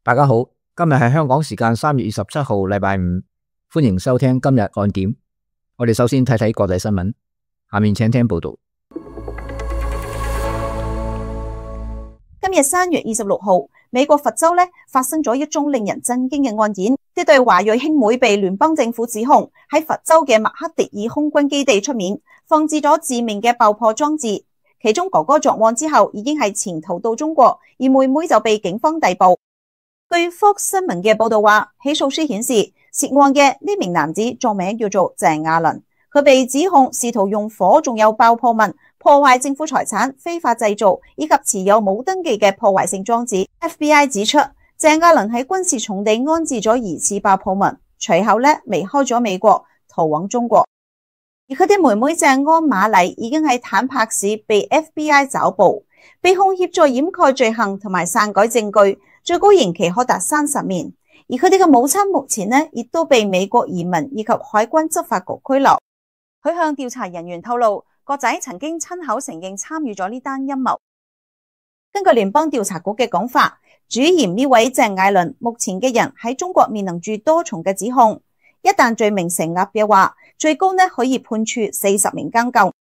大家好，今日係香港時間3月27號，禮拜五，歡迎收聽今日按點。我哋首先睇睇國際新聞，下面請聽報道。今日3月26號，美國佛州發生咗一宗令人震驚嘅案件，呢對華裔兄妹被聯邦政府指控喺佛州嘅麥克迪爾空軍基地出面放置咗致命嘅爆破裝置。其中哥哥作案之後已經係潛逃到中國，而妹妹就被警方逮捕。據 Fox 新聞嘅報道話，起訴書顯示涉案嘅呢名男子作名叫做鄭亞倫，佢被指控試圖用火仲有爆破物破壞政府財產、非法製造以及持有冇登記嘅破壞性裝置。FBI 指出，鄭亞倫喺軍事重地安置咗疑似爆破物，隨後離開咗美國，逃往中國。而佢嘅妹妹鄭安瑪麗已經喺坦帕市被 FBI 抓捕，被控協助掩蓋罪行同埋篡改證據，最高刑期可達30年。而佢哋嘅母親目前亦都被美國移民以及海關執法局拘留。佢向調查人員透露，個仔曾經親口承認參與咗呢單陰謀。根據聯邦調查局嘅講法，主嫌呢位鄭亞倫目前嘅人喺中國面臨住多重嘅指控，一旦罪名成立嘅話，最高可以判處40年監禁。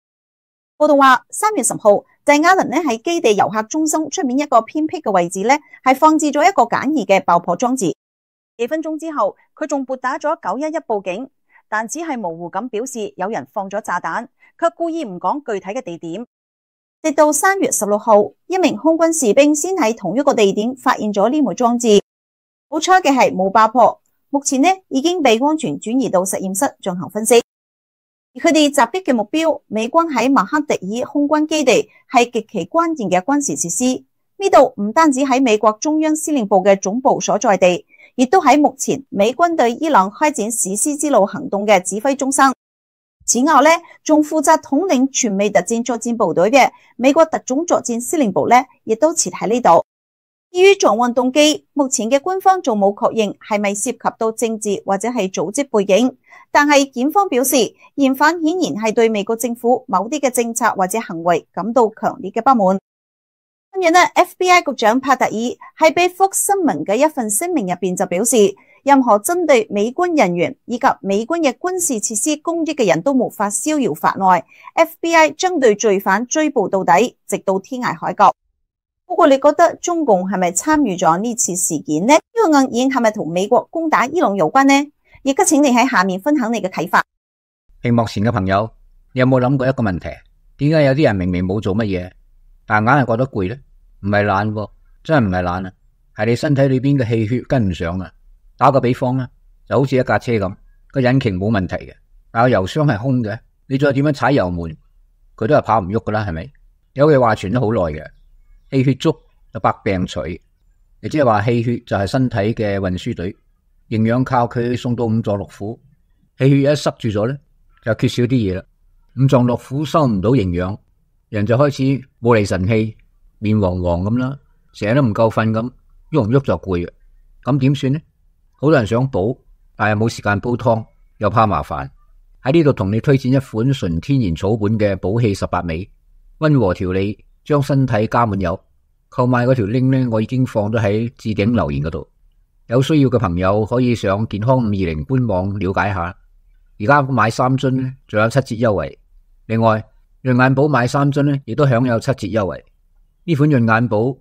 報道話3月10號，鄭亞倫喺基地遊客中心出面一個偏僻嘅位置係放置咗一個簡易嘅爆破裝置。幾分鐘之後，佢仲撥打咗911報警，但只係模糊咁表示有人放咗炸彈，卻故意唔講具體嘅地點。直到3月16號，一名空軍士兵先喺同一個地點發現咗呢枚裝置。好彩嘅係冇爆破，目前已經被安全轉移到實驗室進行分析。而佢哋襲擊嘅目標，美軍喺麥克迪爾空軍基地係極其關鍵嘅軍事設施。呢度唔單止喺美國中央司令部嘅總部所在地，亦都喺目前美軍對伊朗開展史詩之路行動嘅指揮中心。此外仲負責統領全美特戰作戰部隊嘅美國特種作戰司令部亦都設喺呢度。至於作案動機，目前嘅官方仲冇確認係咪涉及到政治或者係組織背景，但係檢方表示，嫌犯顯然係對美國政府某啲嘅政策或者行為感到強烈嘅不滿。跟住FBI 局長帕特爾喺俾 Fox 新聞嘅一份聲明入邊就表示，任何針對美軍人員以及美軍嘅軍事設施攻擊嘅人都無法逍遙法外。FBI 將對罪犯追捕到底，直到天涯海角。不過你覺得中共係咪參與咗呢次事件呢？呢個案件係咪同美國攻打伊朗有關呢？亦都請你喺下面分享你嘅睇法。屏幕前嘅朋友，你有冇諗過一個問題？點解有啲人明明冇做乜嘢，但硬係覺得攰呢？唔係懶喎，真係唔係懶啊，係你身體裏邊嘅氣血跟唔上啊。打個比方啦，就好似一架車咁，個引擎冇問題嘅，但個油箱係空嘅，你再點樣踩油門，佢都係跑唔喐噶啦，係咪？有句話傳咗好耐嘅，氣血足就百病除，亦即係話氣血就係身體嘅運輸隊，營養靠佢送到五臟六腑，氣血一塞住咗咧，就缺少啲嘢啦，五臟六腑收唔到營養，人就開始冇厘神氣，面黃黃咁啦，成日都唔夠瞓咁，喐唔喐就攰嘅，咁點算呢？好多人想補，但係冇時間煲湯，又怕麻煩。喺呢度同你推薦一款純天然草本嘅補氣18味，溫和調理，將身體加滿油。購買嗰條 link 我已經放咗喺置頂留言嗰度，有需要嘅朋友可以上健康520官網了解下。而家買3樽仲有7折優惠，另外潤眼寶買3樽亦都享有7折優惠。呢款潤眼寶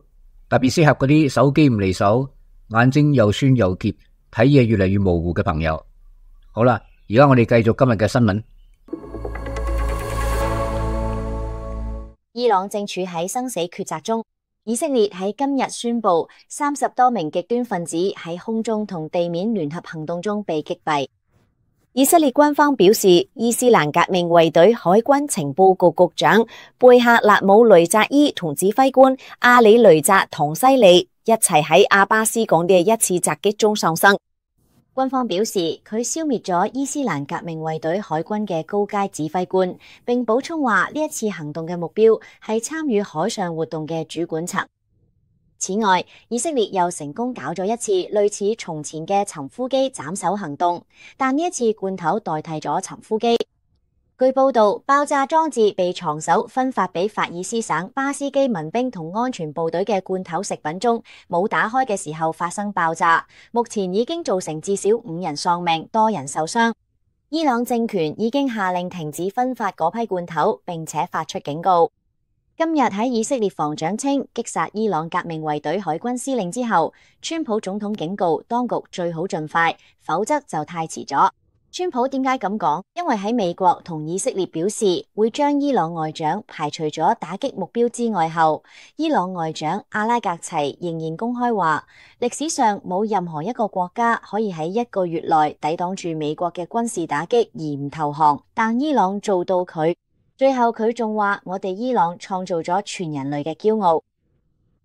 特別適合嗰啲手機唔離手，眼睛又酸又澀，睇嘢越嚟越模糊嘅朋友。好啦，而家我哋繼續今日嘅新聞。伊朗正處喺生死抉擇中，以色列喺今日宣布30多名極端分子喺空中同地面聯合行動中被擊斃。以色列軍方表示，伊斯蘭革命衛隊海軍情報局局長貝克勒姆雷扎伊同指揮官阿里雷扎唐西里一齊喺阿巴斯港嘅一次襲擊中喪生。軍方表示，佢消滅咗伊斯蘭革命衛隊海軍嘅高階指揮官，並補充話呢一次行動嘅目標係參與海上活動嘅主管層。此外，以色列又成功搞咗一次類似從前嘅尋呼機斬首行動，但呢一次罐頭代替咗尋呼機。據報道，爆炸裝置被藏手分發俾法爾斯省巴斯基民兵同安全部隊嘅罐頭食品中冇打開嘅時候發生爆炸，目前已經造成至少5人喪命，多人受傷。伊朗政權已經下令停止分發嗰批罐頭，並且發出警告。今日喺以色列防長稱擊殺伊朗革命衛隊海軍司令之後，川普總統警告當局最好盡快，否則就太遲咗。川普點解咁講？因為喺美國同以色列表示會將伊朗外長排除咗打擊目標之外後，伊朗外長阿拉格齊仍然公開話，歷史上冇任何一個國家可以喺1個月內抵擋住美國嘅軍事打擊而唔投降，但伊朗做到佢。最後佢仲話，我哋伊朗創造咗全人類嘅驕傲。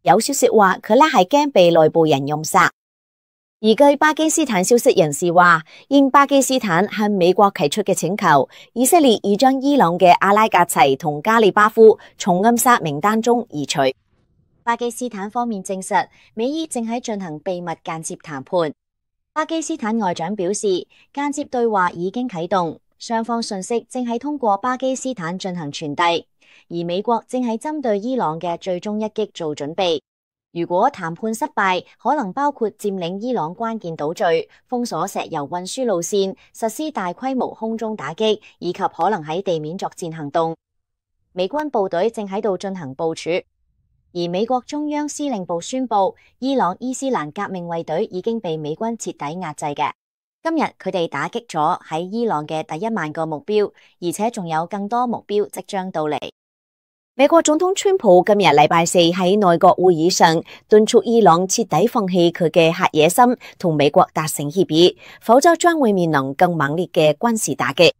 有消息話佢咧係驚被內部人暗殺。而據巴基斯坦消息人士話，應巴基斯坦向美國提出嘅請求，以色列已將伊朗嘅阿拉格齊同加里巴夫從暗殺名單中移除。巴基斯坦方面證實，美伊正喺進行秘密間接談判。巴基斯坦外長表示，間接對話已經啟動，雙方信息正係通過巴基斯坦進行傳遞，而美國正係針對伊朗嘅最終一擊做準備。如果談判失敗，可能包括佔領伊朗關鍵島嶼、封鎖石油運輸路線、實施大規模空中打擊，以及可能喺地面作戰行動。美軍部隊正喺度進行部署，而美國中央司令部宣布，伊朗伊斯蘭革命衛隊已經被美軍徹底壓制嘅。今日佢哋打擊咗喺伊朗嘅第1萬個目標，而且仲有更多目標即將到嚟。美國總統川普今日禮拜4喺內閣會議上敦促伊朗徹底放棄佢嘅核野心，同美國達成協議，否則將會面臨更猛烈嘅軍事打擊。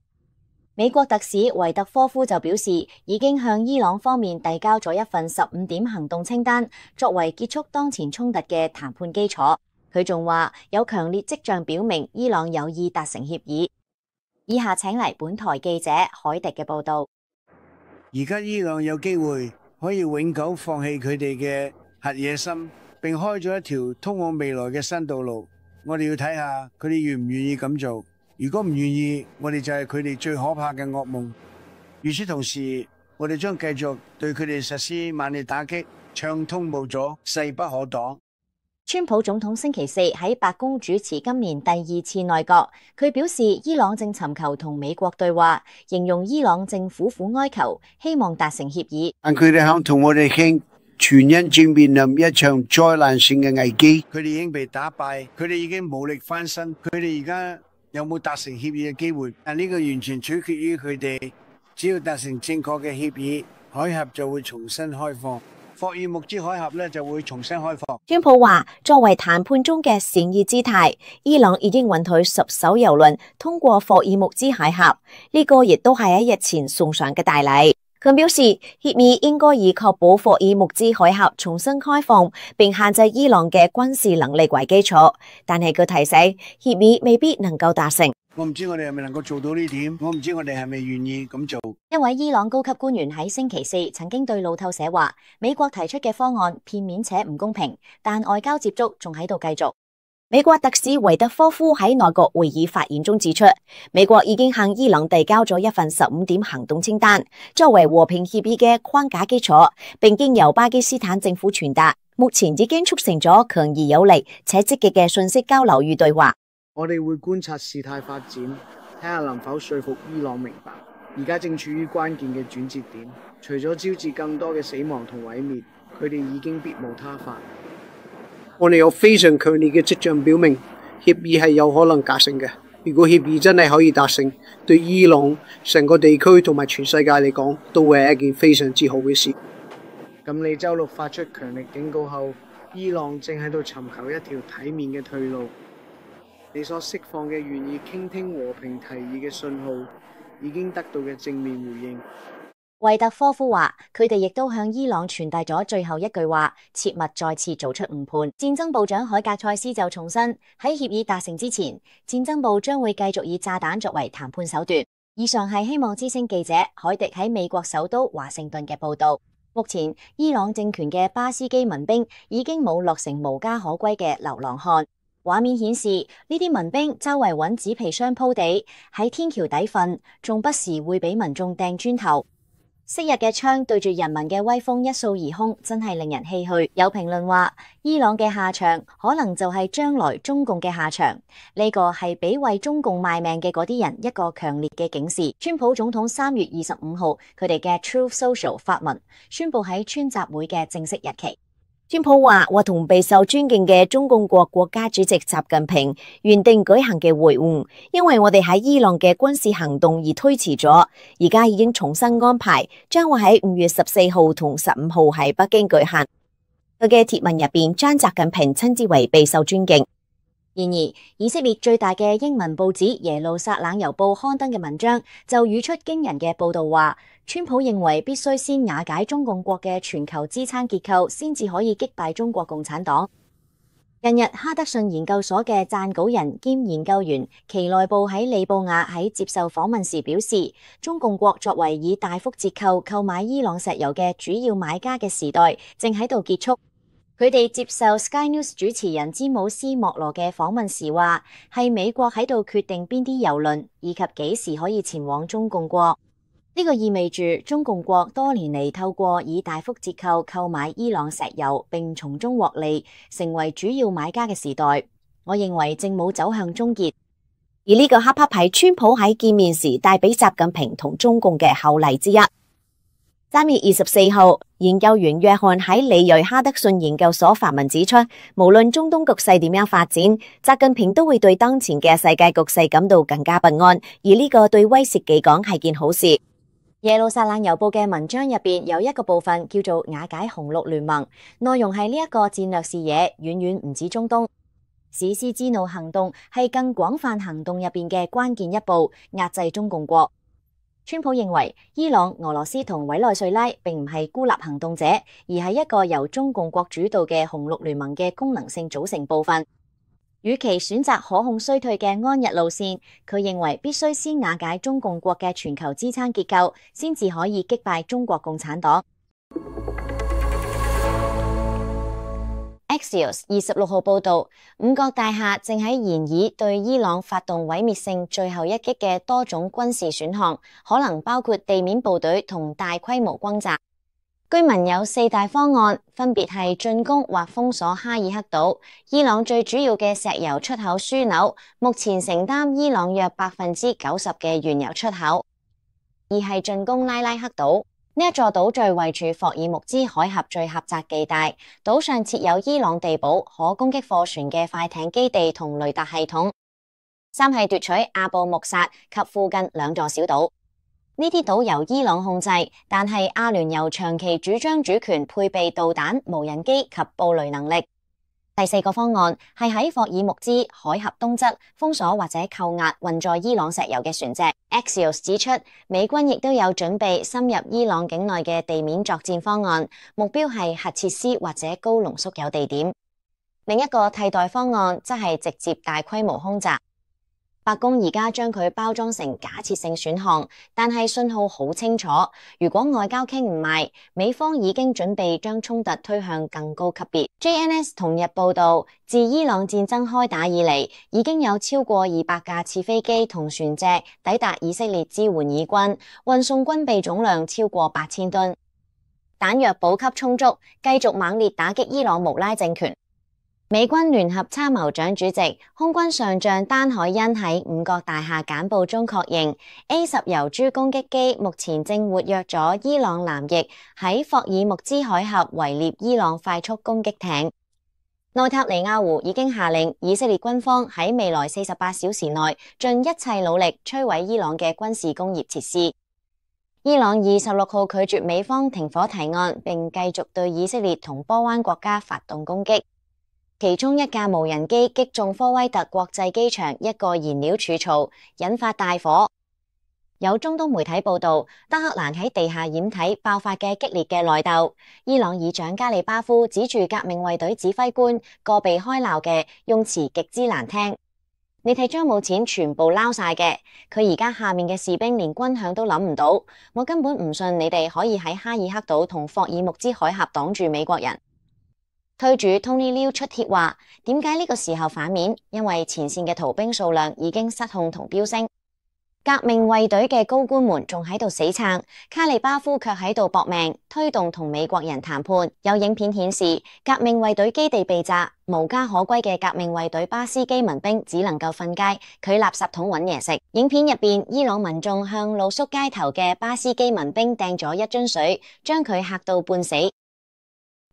美國特使維特科夫就表示，已經向伊朗方面遞交咗一份15點行動清單，作為結束當前衝突嘅談判基礎。佢仲話有強烈跡象表明伊朗有意達成協議。以下請嚟本台記者海迪嘅報道。而家伊朗有機會可以永久放棄佢哋嘅核野心，並開咗一條通往未來嘅新道路。我哋要睇下佢哋願唔願意咁做。如果唔願意，我哋就係佢哋最可怕嘅噩夢。與此同時，我哋將繼續對佢哋實施猛烈打擊，暢通無阻，勢不可擋。川普總統星期4喺白宮主持今年第2次內閣，佢表示伊朗正尋求同美國對話，形容伊朗正苦苦哀求，希望達成協議。但佢哋肯同我哋傾，全因正面臨一場災難性嘅危機。佢哋已經被打敗，佢哋已經無力翻身，佢哋而家有冇達成協議嘅機會？但呢個完全取決於佢哋，只要達成正確嘅協議，海峽就會重新開放。霍爾木茲海峽咧就會重新開放。川普話，作為談判中嘅善意姿態，伊朗已經允許10艘郵輪通過霍爾木茲海峽，呢個亦都係喺日前送上嘅大禮。佢表示，協議應該以確保霍爾木茲海峽重新開放，並限制伊朗嘅軍事能力為基礎。但係佢提醒，協議未必能夠達成。我唔知我哋係咪能夠做到呢點，我唔知我哋係咪願意咁做。一位伊朗高級官員喺星期4曾經對路透社話，美國提出嘅方案片面且唔公平，但外交接觸仲喺度繼續。美國特使維特科夫喺內閣會議發言中指出，美國已經向伊朗遞交咗一份15點行動清單，作為和平協議嘅框架基礎，並經由巴基斯坦政府傳達，目前已經促成咗強而有力且積極嘅信息交流與對話。我哋會觀察事態發展，睇下能否說服伊朗明白，而家正處於關鍵嘅轉折點。除咗招致更多嘅死亡同毀滅，佢哋已經別無他法。我哋有非常強烈嘅跡象表明，協議係有可能達成嘅。如果協議真係可以達成，對伊朗成個地區同埋全世界嚟講，都會係一件非常之好嘅事。咁你周六發出強力警告後，伊朗正喺度尋求一條體面嘅退路。你所釋放嘅願意傾聽和平提議嘅信號，已經得到嘅正面回應。維特科夫話，佢哋亦都向伊朗傳遞咗最後一句話，切勿再次做出誤判。戰爭部長海格塞斯就重申，喺協議達成之前，戰爭部將會繼續以炸彈作為談判手段。以上係希望之聲記者海迪喺美國首都華盛頓嘅報道。目前，伊朗政權嘅巴斯基民兵已經冇落成無家可歸嘅流浪漢。畫面顯示呢啲民兵周圍揾紙皮箱鋪地，喺天橋底瞓，仲不時會俾民眾掟磚頭。昔日嘅槍對住人民嘅威風一掃而空，真係令人唏噓。有評論話，伊朗嘅下場可能就係將來中共嘅下場。呢個係俾為中共賣命嘅嗰啲人一個強烈嘅警示。川普總統3月25號佢哋嘅 Truth Social 發文宣布喺川集會嘅正式日期。川普話同備受尊敬嘅中共國家主席習近平原定舉行嘅會晤，因為我哋喺伊朗嘅軍事行動而推遲咗，而家已經重新安排，將會喺5月14號同15號喺北京舉行。佢嘅貼文入邊將習近平稱之為備受尊敬。然而，以色列最大嘅英文報紙耶路撒冷郵報刊登嘅文章就語出驚人嘅報道話，川普認為必須先瓦解中共國嘅全球支撐結構，先至可以擊敗中國共產黨。近日，哈德遜研究所嘅撰稿人兼研究員奇內布喺利布亞喺接受訪問時表示，中共國作為以大幅折扣購買伊朗石油嘅主要買家嘅時代正喺度結束。佢哋接受 Sky News 主持人詹姆斯莫羅嘅訪問時話，係美國喺度決定邊啲郵輪以及幾時可以前往中共國。呢個意味住中共國多年嚟透過以大幅折扣購買伊朗石油並從中獲利，成為主要買家嘅時代，我認為正冇走向終結。而呢個黑拍係川普喺見面時帶俾習近平同中共嘅厚禮之一。3月24號，研究員約翰喺里瑞哈德遜研究所發文指出，無論中東局勢點樣發展，習近平都會對當前嘅世界局勢感到更加不安，而呢個對威懾記講係件好事。耶路撒冷郵報嘅文章入邊有一個部分叫做瓦解紅綠聯盟，內容係呢一個戰略視野遠遠唔止中東。史詩之怒行動係更廣泛行動入邊嘅關鍵一步，壓制中共國。川普認為伊朗、俄羅斯同委內瑞拉並唔係孤立行動者，而係一個由中共國主導嘅紅綠聯盟嘅功能性組成部分。與其選擇可控衰退嘅安逸路線，佢認為必須先瓦解中共國嘅全球支撐結構，先至可以擊敗中國共產黨。Axios 26號報道，五角大廈正喺研議對伊朗發動毀滅性最後一擊嘅多種軍事選項，可能包括地面部隊同大規模轟炸。居民有4大方案，分別係進攻或封鎖哈爾克島，伊朗最主要嘅石油出口樞紐，目前承擔伊朗約90%嘅原油出口；二係進攻拉克島。呢一座島嶼位處霍爾木茲海峽最狹窄地帶，島上設有伊朗地堡、可攻擊貨船嘅快艇基地同雷達系統。三係奪取阿布穆薩及附近2座小島。呢啲島由伊朗控制，但係阿聯酋長期主張主權，配備導彈、無人機及布雷能力。第4個方案係喺霍爾木茲海峽東側封鎖或者扣押運載伊朗石油嘅船隻。Axios 指出，美軍亦都有準備深入伊朗境內嘅地面作戰方案，目標係核設施或者高濃縮鈾地點。另一個替代方案則係直接大規模空襲。白宮而家將佢包裝成假設性選項，但係信號好清楚。如果外交傾唔埋，美方已經準備將衝突推向更高級別。JNS 同日報道，自伊朗戰爭開打以嚟，已經有超過200架次飛機同船隻抵達以色列支援以軍，運送軍備總量超過8000噸，彈藥補給充足，繼續猛烈打擊伊朗穆拉政權。美軍聯合參謀長主席、空軍上將丹海恩喺五角大廈簡報中確認 A10 油豬攻擊機目前正活躍咗伊朗南翼喺霍爾木茲海峽圍獵伊朗快速攻擊艇。內塔尼亞胡已經下令以色列軍方喺未來48小時內盡一切努力摧毀伊朗嘅軍事工業設施。伊朗26號拒絕美方停火提案，並繼續對以色列同波灣國家發動攻擊。其中一架無人機擊中科威特國際機場一個燃料儲槽，引發大火。有中東媒體報道，德黑蘭喺地下掩體爆發嘅激烈嘅內鬥。伊朗議長加里巴夫指住革命衛隊指揮官個被開鬧嘅用詞極之難聽。你哋將冇錢全部撈晒嘅，佢而家下面嘅士兵連軍餉都諗唔到。我根本唔信你哋可以喺哈爾克島同霍爾木茲海峽擋住美國人。推主 Tony Liu 出帖話，點解呢個時候反面？因為前線嘅逃兵數量已經失控同飆升。革命衛隊嘅高官們仲喺度死撐，卡利巴夫卻喺度搏命推動同美國人談判。有影片顯示，革命衛隊基地被炸，無家可歸嘅革命衛隊巴斯基民兵只能夠瞓街，佢垃圾桶揾嘢食。影片入邊，伊朗民眾向露宿街頭嘅巴斯基民兵掟咗一樽水，將佢嚇到半死。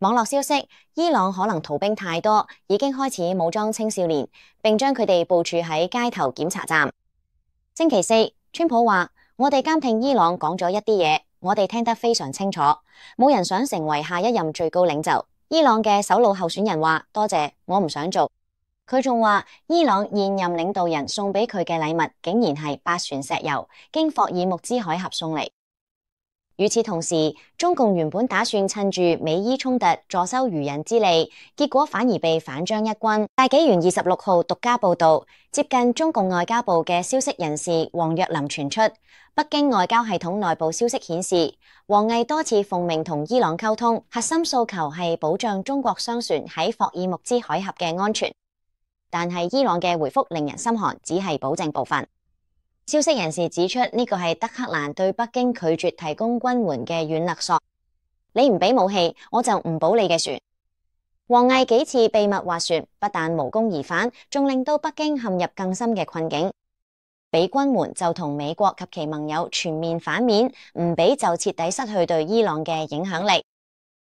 網絡消息，伊朗可能逃兵太多，已經開始武裝青少年，並將佢哋部署喺街頭檢查站。星期四，川普話：我哋監聽伊朗講咗一啲嘢，我哋聽得非常清楚，冇人想成為下一任最高領袖。伊朗嘅首腦候選人話：多謝，我唔想做。佢仲話，伊朗現任領導人送俾佢嘅禮物，竟然係8船石油，經霍爾木茲海峽送嚟。與此同時，中共原本打算趁住美伊衝突坐收漁人之利，結果反而被反將一軍。大紀元26號獨家報道，接近中共外交部嘅消息人士王若琳傳出，北京外交系統內部消息顯示，王毅多次奉命同伊朗溝通，核心訴求係保障中國商船喺霍爾木茲海峽嘅安全。但係伊朗嘅回覆令人心寒，只係保證部分。消息人士指出，呢個係德黑蘭對北京拒絕提供軍援嘅軟勒索，你唔俾武器，我就唔保你嘅船。王毅幾次秘密斡旋，不但無功而返，仲令到北京陷入更深嘅困境。俾軍援就同美國及其盟友全面反面，唔俾就徹底失去對伊朗嘅影響力。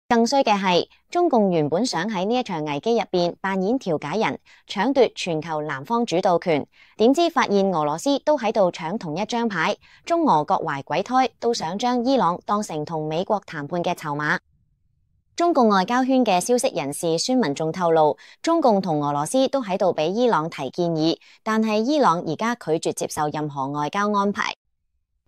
更衰嘅係，中共原本想喺呢一場危機入邊扮演調解人，搶奪全球南方主導權，點知發現俄羅斯都喺度搶同一張牌，中俄各懷鬼胎，都想將伊朗當成同美國談判嘅籌碼。中共外交圈嘅消息人士孫文仲透露，中共同俄羅斯都喺度俾伊朗提建議，但係伊朗而家拒絕接受任何外交安排。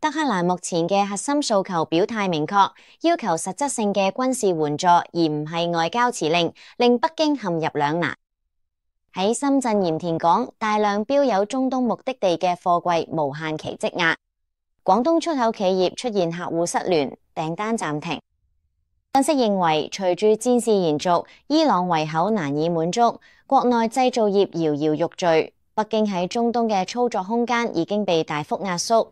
德黑蘭目前嘅核心訴求表態明確，要求實質性嘅軍事援助，而唔係外交辭令，令北京陷入兩難。喺深圳鹽田港，大量標有中東目的地嘅貨櫃無限期積壓，廣東出口企業出現客戶失聯，訂單暫停。分析認為，隨住戰事延續，伊朗胃口難以滿足，國內製造業搖搖欲墜，北京喺中東嘅操作空間已經被大幅壓縮。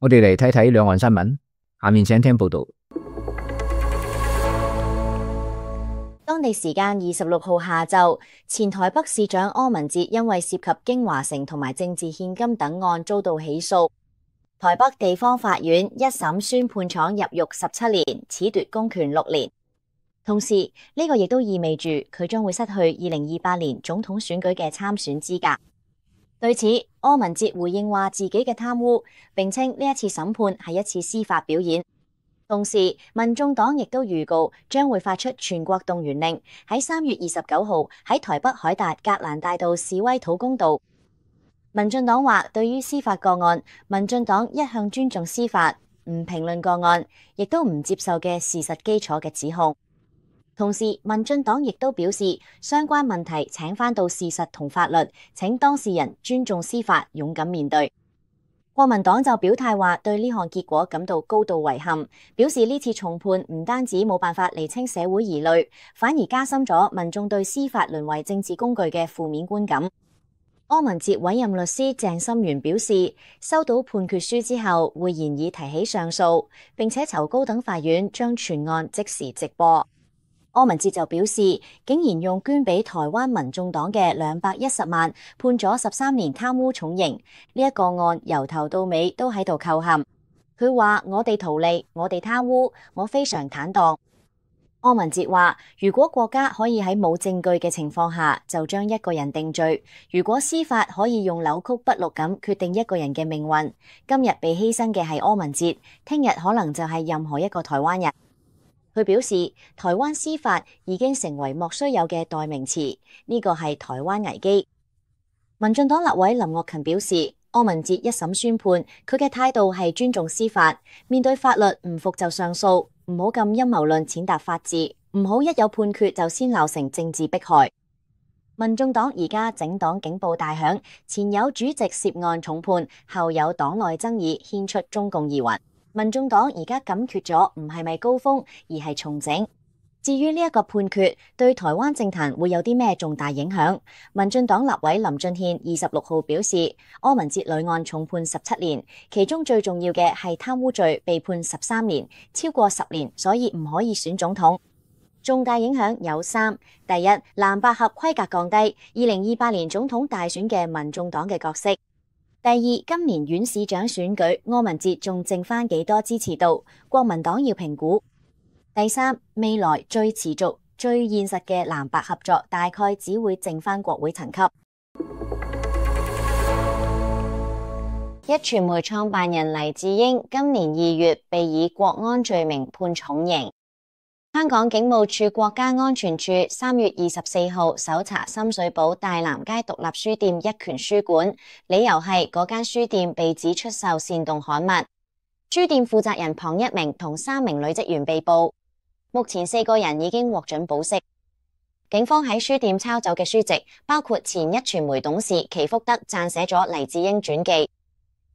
我哋嚟睇睇兩岸新聞，下面請聽報道。當地時間26號下晝，前台北市長柯文哲因為涉及京華城同埋政治獻金等案遭到起訴，台北地方法院一審宣判廠入獄17年，褫奪公權6年。同時，呢個亦都意味住佢將會失去2028年總統選舉嘅參選資格。對此，柯文哲回應話自己嘅貪污，並稱呢一次審判係一次司法表演。同時，民眾黨亦都預告將會發出全國動員令，喺3月29號喺台北凱達格蘭大道示威討公道。民進黨話，對於司法個案，民進黨一向尊重司法，唔評論個案，亦都唔接受嘅事實基礎嘅指控。同時，民進黨亦都表示，相關問題請返到事實同法律，請當事人尊重司法，勇敢面對。國民黨就表態話，對呢項結果感到高度遺憾，表示呢次重判唔單止冇辦法釐清社會疑慮，反而加深咗民眾對司法淪為政治工具嘅負面觀感。柯文哲委任律師鄭心元表示，收到判決書之後，會研議提起上訴，並且求高等法院將全案即時直播。柯文哲就表示，竟然用捐俾台灣民眾黨嘅210萬判咗13年貪污重刑，呢一個案由頭到尾都喺度扣陷。佢話：我哋圖利，我哋貪污，我非常坦蕩。柯文哲話：如果國家可以喺冇證據嘅情況下就將一個人定罪，如果司法可以用扭曲不錄咁決定一個人嘅命運，今日被犧牲嘅係柯文哲，聽日可能就係任何一個台灣人。佢表示，台灣司法已經成為莫須有嘅代名詞，呢個係台灣危機。民進黨立委林岳勤表示，柯文哲一審宣判，佢嘅態度係尊重司法，面對法律唔服就上訴，唔好咁陰謀論踐踏法治，唔好一有判決就先鬧成政治迫害。民眾黨而家整黨警報大響，前有主席涉案重判，後有黨內爭議牽出中共疑雲。民眾黨而家感覺咗唔係咪高峰，而係重整。至於呢一個判決對台灣政壇會有啲咩重大影響？民進黨立委林俊憲26號表示，柯文哲女案重判17年，其中最重要嘅係貪污罪被判13年，超過10年，所以唔可以選總統。重大影響有3：第一，藍白合規格降低2028年總統大選嘅民眾黨嘅角色；第二，今年縣市長選舉柯文哲仲剩返幾多支持度，國民黨要評估；第三，未來最持續、最現實嘅藍白合作大概只會剩返國會層級。壹傳媒創辦人黎智英今年2月被以國安罪名判重刑。香港警務處國家安全處3月24號搜查深水埗大南街獨立書店一拳書館，理由係嗰間書店被指出售煽動刊物。書店負責人龐一鳴同3名女職員被捕，目前4個人已經獲准保釋。警方喺書店抄走嘅書籍包括前壹傳媒董事祁福德撰寫咗黎智英傳記。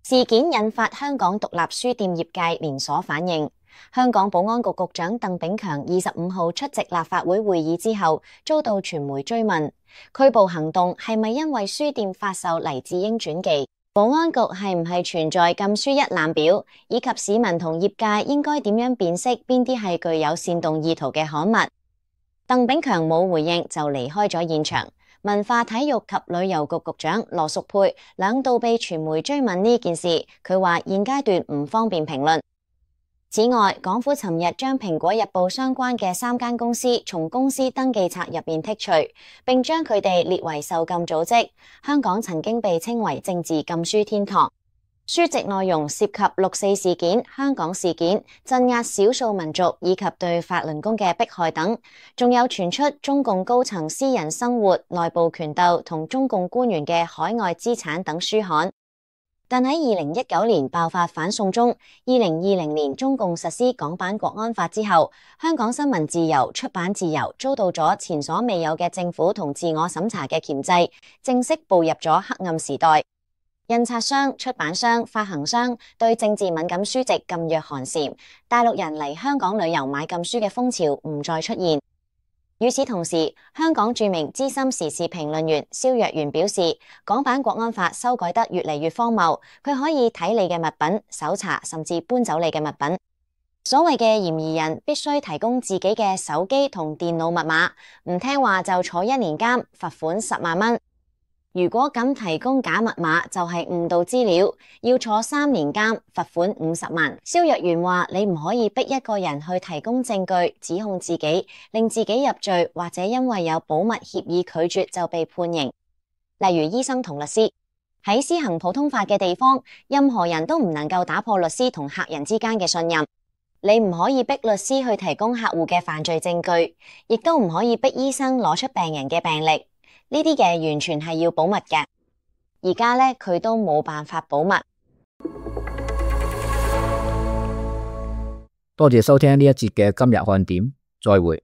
事件引發香港獨立書店業界連鎖反應。香港保安局局長鄧炳強25號出席立法會會議之後，遭到傳媒追問，拘捕行動係咪因為書店發售黎智英傳記？保安局係唔係存在禁書一覽表，以及市民同業界應該點樣辨識邊啲係具有煽動意圖嘅刊物？鄧炳強冇回應就離開咗現場。文化體育及旅遊局局長羅淑佩兩度被傳媒追問呢件事，佢話現階段唔方便評論。此外，港府尋日將蘋果日報相關嘅3間公司從公司登記冊入面剔除，並將佢哋列為受禁組織。香港曾經被稱為政治禁書天堂。書籍內容涉及6·4事件、香港事件、鎮壓少數民族以及對法輪功嘅迫害等，仲有傳出中共高層私人生活、內部權鬥同中共官員嘅海外資產等書刊。但喺2019年爆發反送中，2020年中共實施港版國安法之後，香港新聞自由、出版自由遭到咗前所未有嘅政府同自我審查嘅鉗制，正式步入咗黑暗時代。印刷商、出版商、發行商對政治敏感書籍噤若寒蟬，大陸人嚟香港旅遊買禁書嘅風潮唔再出現。與此同時，香港著名資深時事評論員蕭若元表示，港版國安法修改得越嚟越荒謬，佢可以睇你嘅物品、搜查甚至搬走你嘅物品。所謂嘅嫌疑人必須提供自己嘅手機同電腦密碼，唔聽話就坐1年監，罰款10萬蚊。如果敢提供假密碼就係誤導資料，要坐3年監，罰款50萬。蕭若元話：你唔可以逼一個人去提供證據指控自己，令自己入罪，或者因為有保密協議拒絕就被判刑。例如醫生同律師喺施行普通法嘅地方，任何人都唔能夠打破律師同客人之間嘅信任。你唔可以逼律師去提供客戶嘅犯罪證據，亦都唔可以逼醫生攞出病人嘅病歷。呢啲嘅完全係要保密嘅，而家呢，佢都冇辦法保密。多謝收聽呢一節嘅今日看點，再會。